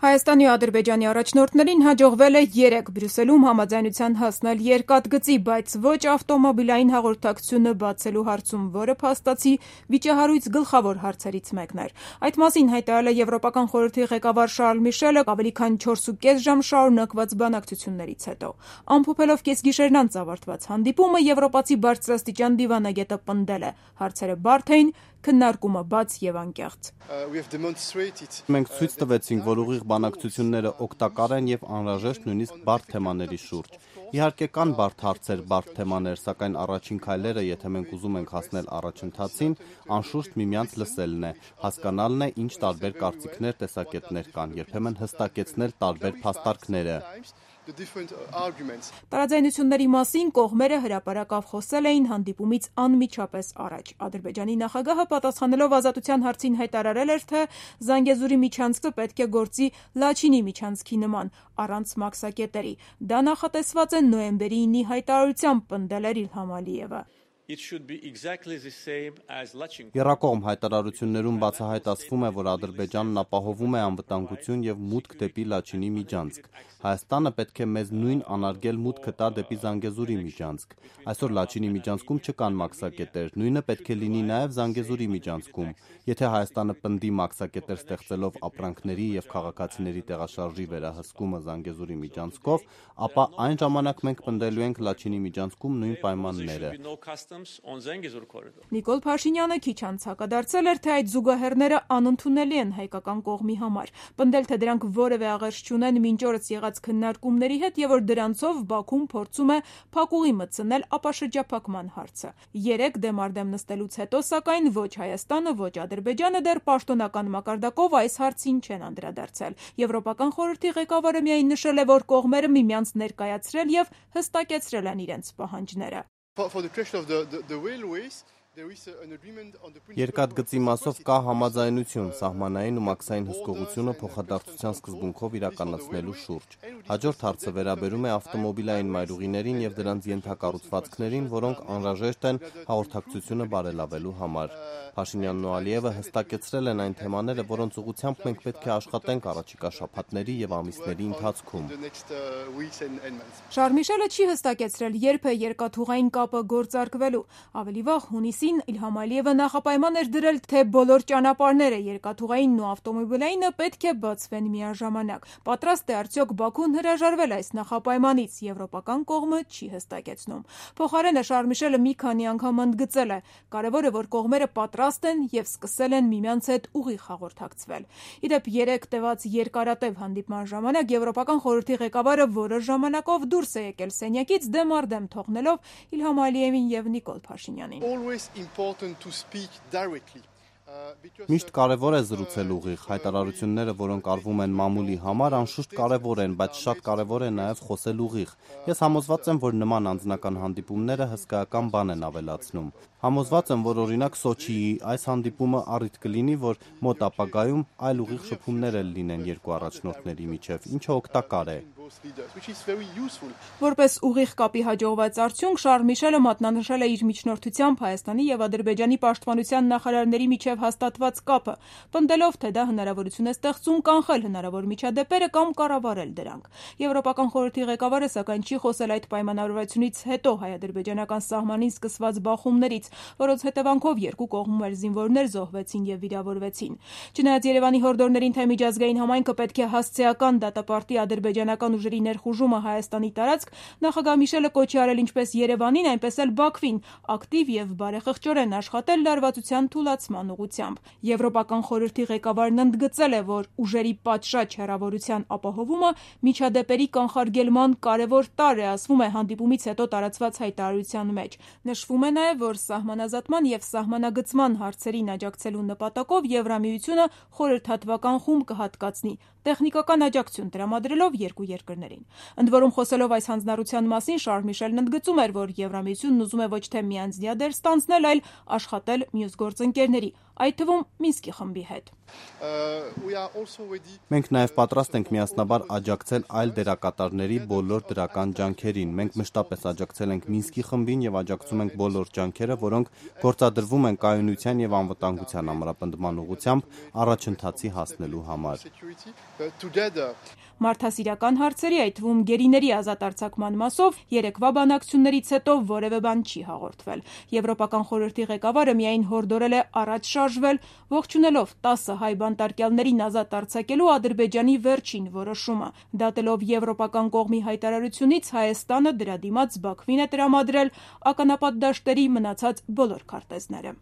Հայաստանի ու Ադրբեջանի առաջնորդներին հաջողվել է 3 Բրյուսելում համաձայնության հասնել երկաթգծի, բայց ոչ ավտոմոբիլային հաղորդակցությունը բացելու հարցում, որը փաստացի վիճահարույց գլխավոր հարցերից մեկն էր։ Այդ մասին հայտարարել է Եվրոպական խորհրդի ղեկավար Շարլ Միշելը ավելի քան 4,5 ժամ շարունակված բանակցություններից հետո։ Ամփոփելով կեսգիշերն անց ավարտված հանդիպումը, եվրոպացի բարձրաստիճան դիվանագետը պնդել է. հարցերը բարդ էին, քննարկումը բաց եւ անկեղծ։ Մենք ցույց տվեցինք, որ ուղիղ բանակցությունները օգտակար են եւ անհրաժեշտ նույնիսկ բարդ թեմաների շուրջ։ Իհարկե կան բարդ հարցեր, բարդ թեմաներ, սակայն առաջին քայլերը, եթե մենք ուզում ենք հասնել առաջընթացին, անշուշտ միմյանց լսելն է, հասկանալն է, ինչ տարբեր կարծիքներ, տեսակետներ կան, երբեմն հստակեցնել տարբեր փաստարկները։ Տարաձայնությունների մասին կողմերը հրապարակավ խոսել էին հանդիպումից անմիջապես առաջ։ Ադրբեջանի նախագահը պատասխանելով ազատության հարցին հայտարարել էր, թե Զանգեզուրի միջանցքը պետք է գործի Լաչինի միջանցքի նման, առանց մաքսակետերի։ Դա նախատեսված է նոյեմբերի 9-ի հայտարարությամբ, պնդել էր Իլհամ Ալիևը։ Եռակողմ հայտարարություններում բացահայտ ասվում է, որ Ադրբեջանն ապահովում է անվտանգություն եւ մուտք դեպի Լաչինի միջանցք։ Հայաստանը պետք է մեզ նույն անարգել մուտքը տա դեպի Զանգեզուրի միջանցք։ Այսօր Լաչինի միջանցքում չկան մաքսակետեր, նույնը պետք է լինի նաեւ Զանգեզուրի միջանցքում։ Եթե Հայաստանը պնդի մաքսակետեր ստեղծելով ապրանքների եւ քաղաքացիների տեղաշարժի վերահսկումը Զանգեզուրի միջանցքով, ապա այն ժամանակ մենք պնդելու ենք Լաչինի միջանցքում նույն պայմանները։ Նիկոլ Փաշինյանը քիչ անց հակադարձել էր, թե այդ զուգահեռները անընդունելի են հայկական կողմի համար, պնդել, թե դրանք որևէ աղերս չունեն մինչ օրս եղած քննարկումների հետ եւ որ դրանցով Բաքուն փորձում է փակուղի մտցնել ապաշրջափակման հարցը։ 3 դեմարդեմ նստելուց հետո, սակայն ոչ Հայաստանը, ոչ Ադրբեջանը դեռ պաշտոնական մակարդակով այս հարցին չեն անդրադարձել։ Եվրոպական խորհրդի ղեկավարը միայն նշել է, որ կողմերը միմյանց ներկայացրել եւ հստակեցրել են իրենց պահանջները։ Երկաթգծի մասով կա համաձայնություն սահմանային ու մաքսային հսկողությունը փոխադարձության սկզբունքով իրականացնելու շուրջ։ Հաջորդ հարցը վերաբերում է ավտոմոբիլային մայրուղիներին եւ դրանց ենթակառուցվածքներին, որոնք անհրաժեշտ են հաղորդակցությունը բարելավելու համար։ Փաշինյանն ու Ալիևը հստակեցրել են այն թեմաները, որոնց ուղղությամբ մենք պետք է աշխատենք առաջիկա շաբաթների եւ ամիսների ընթացքում։ Շարլ Միշելը չի հստակեցրել, երբ է երկաթուղային կապը գործարկվելու։ Ավելի վաղ հունիսին Իլհամ Ալիևը նախապայման էր դրել, թե բոլոր ճանապարհները երկաթուղայինն ու ավտոմոբիլայինը պետք է բացվեն միաժամանակ։ Պատրաստ է արդյոք Բաքուն հրաժարվել այս նախապայմանից, եվրոպական կողմը չի հստակեցնում։ Փոխարենը Շարլ Միշելը մի քանի անգամ ընդգծել է. կարևոր է, որ կողմերը պատրաստ են եւ սկսել են միմյանց հետ ուղիղ հաղորդակցվել։ Իդեպ 3 տևած երկարատև հանդիպման ժամանակ Եվրոպական խորհրդի ղեկավարը որոշ ժամանակով դուրս է եկել սենյակից դեմարդեմ թողնելով Իլհամ Ալիևին եւ Նիկոլ Փաշինյանին։ Միշտ կարևոր է զրուցել ուղիղ, հայտարարությունները, որոնք արվում են մամուլի համար, անշուշտ կարևոր են, բայց շատ կարևոր է նաև խոսել ուղիղ։ Ես համոզված եմ, որ նման անձնական հանդիպումները հսկայական բան են ավելացնում։ Համոզված եմ, որ օրինակ Սոչիի այս հանդիպումը առիթ կլինի, որ մոտ ապագայում այլ ուղիղ շփումներ էլ լինեն երկու առաջնորդների միջև, ինչը օգտակար է։ Որպես ուղիղ կապի հաջողված արդյունք, Շարլ Միշելը մատնանշել է իր միջնորդությամբ Հայաստանի եւ Ադրբեջանի պաշտպանության նախարարների միջև հաստատված կապը, պնդելով, թե դա հնարավորություն է ստեղծում կանխել հնարավոր միջադեպերը կամ կառավարել դրանք։ Եվրոպական խորհրդի ղեկավարը սակայն չի խոսել այդ պայմանավորվածությունից հետո հայ-ադրբեջանական սահմանին սկսված բախումներից, որոնց հետևանքով երկու կողմում էր զինվորներ զոհվեցին եւ վիրավորվեցին։ Չնայած Երևանի հորդորներին, թե միջազգային համայնքը պետք է հասցեական դատապարտի ադրբեջանական ուժերի ներխուժումը Հայաստանի տարածք, նախագահ Միշելը կոչի արել ինչպես Երևանին, այնպես էլ Բաքվին ակտիվ եւ բարեխղճորեն աշխատել լարվածության թուլացման ուղղությամբ։ Եվրոպական խորհրդի ղեկավարն ընդգծել է, որ ուժերի պատշաճ հեռավորության ապահովումը միջադեպերի կանխարգելման կարևոր տարր է, ասվում է հանդիպումից հետո տարածված հայտարարության մեջ։ Նշվում է նաեւ, որ սահմանազատման եւ սահմանագծման հարցերին աջակցելու նպատակով Եվրամիությունը խորհրդատվական խումբ կհատկացնի, տեխնիկական աջակցություն տրամադրելով երկու երկրներին։ Ընդ որում, խոսելով այս հանձնառության մասին, Շարլ Միշելն ընդգծում էր, որ Եվրամիությունն ուզում է ոչ թե միանձնյա դեր ստանձնել, այլ աշխատել մյուս գործընկերների, այդ թվում Մինսկի խմբի հետ։ Մենք նաև պատրաստ ենք միասնաբար աջակցել այլ դերակատարների բոլոր դրական ջանքերին։ Մենք մշտապես աջակցել ենք Մինսկի խմբին եւ աջակցում ենք բոլոր ջանքերը, որոնք գործադրվում են կայունության եւ անվտանգության ամրապնդման ուղղությամբ առաջընթացի հասնելու համար։ Մարդասիրական հարցերի, այդ թվում գերիների ազատ արձակման մասով երեկվա բանակցություններից հետո որևէ բան չի հաղորդվել։ Եվրոպական խորհրդի ղեկավարը միայն հորդորել է առաջ շարժվել, ողջունելով 10 հայ բանտարկյալներին ազատ արձակելու Ադրբեջանի վերջին որոշումը։ Դատելով եվրոպական կողմի հայտարարությունից Հայաստանը դրա դիմաց Բաքվին է տրամադրել ականապատ դաշտերի մնացած բոլոր քարտեզները։